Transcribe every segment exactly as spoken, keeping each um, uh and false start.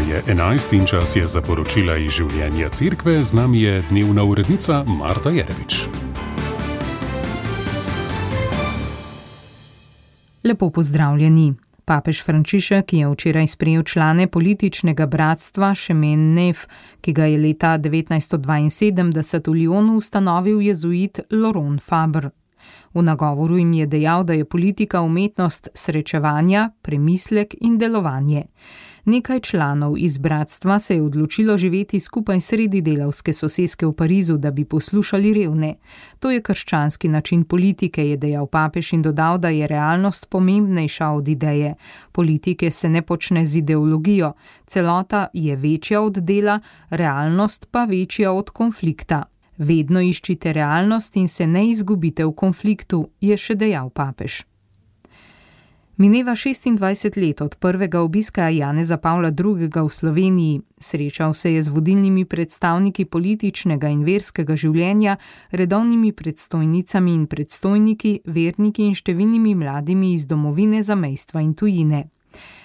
je enajst in čas je za poročila iz življenja cerkve. Z nami je dnevna urednica Marta Jerevič. Lepo pozdravljeni. Papež Frančišek je včeraj sprejel člane političnega bratstva Chemin Neuf, ki ga je leta devetnajststo dvainsedemdeset v Lyonu ustanovil jezuit Laurent Fabre. V nagovoru jim je dejal, da je politika umetnost srečevanja, premislek in delovanje. Nekaj članov iz bratstva se je odločilo živeti skupaj sredi delavske soseske v Parizu, da bi poslušali revne. To je krščanski način politike, je dejal papež in dodal, da je realnost pomembnejša od ideje. Politike se ne počne z ideologijo, celota je večja od dela, realnost pa večja od konflikta. Vedno iščite realnost in se ne izgubite v konfliktu, je še dejal papež. Mineva šestindvajset let od prvega obiska Janeza Pavla drugega v Sloveniji. Srečal se je z vodilnimi predstavniki političnega in verskega življenja, redovnimi predstojnicami in predstojniki, verniki in številnimi mladimi iz domovine, zamejstva in tujine.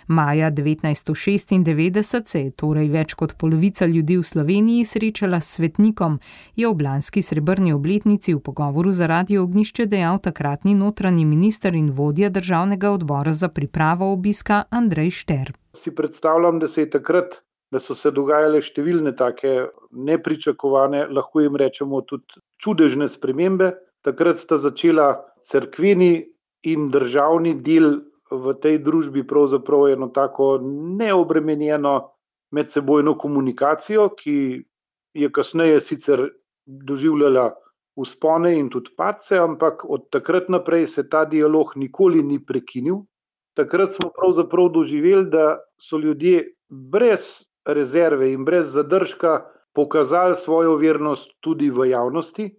Maja devetnajststo šestindevetdeset se je torej več kot polovica ljudi v Sloveniji srečala s svetnikom, je ob lanski srebrni obletnici v pogovoru za Radio Ognjišče dejal takratni notranji minister in vodja državnega odbora za pripravo obiska Andrej Šter. Si predstavljam, da se je takrat, da so se dogajale številne take nepričakovane, lahko jim rečemo tudi čudežne spremembe. Takrat sta začela cerkveni in državni del v tej družbi pravzaprav eno tako neobremenjeno medsebojno komunikacijo, ki je kasneje sicer doživljala vzpone in tudi padce, ampak od takrat naprej se ta dialog nikoli ni prekinil. Takrat smo pravzaprav doživeli, da so ljudje brez rezerve in brez zadržka pokazali svojo vernost tudi v javnosti.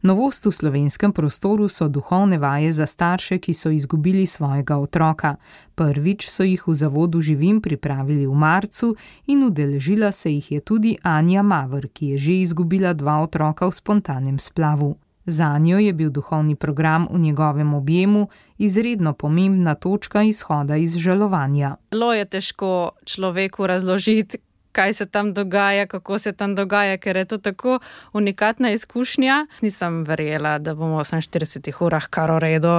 Novost v slovenskem prostoru so duhovne vaje za starše, ki so izgubili svojega otroka. Prvič so jih v zavodu Živim pripravili v marcu in udeležila se jih je tudi Anja Maver, ki je že izgubila dva otroka v spontanem splavu. Zanjo je bil duhovni program v njegovem objemu izredno pomembna točka izhoda iz žalovanja. Zelo je težko človeku razložiti, kaj se tam dogaja, kako se tam dogaja, ker je to tako unikatna izkušnja. Nisem verjela, da bomo v oseminštiridesetih urah kar v redu.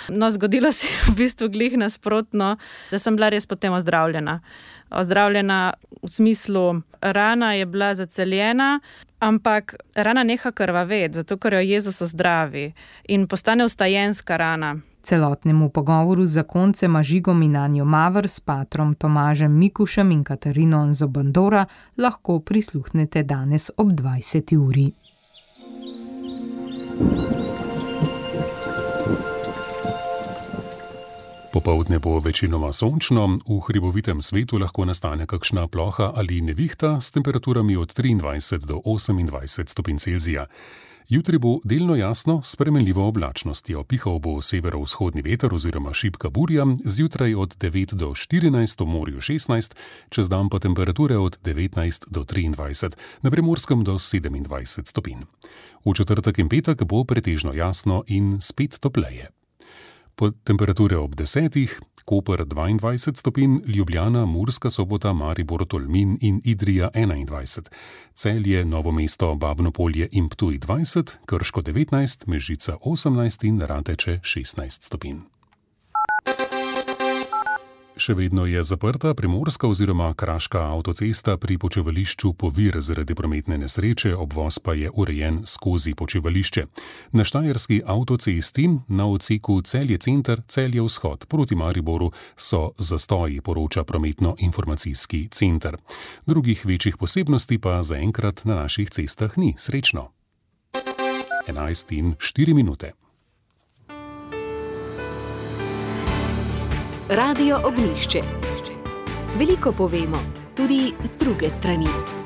No, zgodilo se je v bistvu glih nasprotno, da sem bila res potem ozdravljena. Ozdravljena v smislu, rana je bila zaceljena, ampak rana neha krvaveti, zato ker jo Jezus ozdravi in postane vstajenska rana. Celotnemu pogovoru z zakoncema Žigom in Anjo Maver s patrom Tomažem Mikušem in Katarino Anzobandora lahko prisluhnete danes ob dvajseti uri. Popoldne bo večinoma sončno, v hribovitem svetu lahko nastane kakšna ploha ali nevihta s temperaturami od triindvajset do osemindvajset stopinj Celzija. Jutri bo delno jasno s spremenljivo oblačnostjo. Pihal bo severovzhodni veter oziroma šibka burja, zjutraj od devet do štirinajst, v morju šestnajst, čez dan pa temperature od devetnajst do triindvajset, na Primorskem do sedemindvajset stopinj. V četrtek in petek bo pretežno jasno in spet topleje. Po temperature ob desetih, Koper dvaindvajset stopinj, Ljubljana, Murska Sobota, Maribor, Tolmin in Idrija enaindvajset, Celje, Novo mesto, Babno Polje in Ptuj dvajset, Krško devetnajst, Mežica osemnajst in Rateče šestnajst stopinj. Še vedno je zaprta primorska oziroma kraška avtocesta pri počivališču Povir zaradi prometne nesreče, obvoz pa je urejen skozi počivališče. Na štajerski avtocesti na odseku Celje center, Celje vzhod proti Mariboru so zastoji, poroča prometno-informacijski center. Drugih večjih posebnosti pa zaenkrat na naših cestah ni. Srečno. enajst in štiri minute. Radio Ognjišče. Veliko povemo, tudi z druge strani.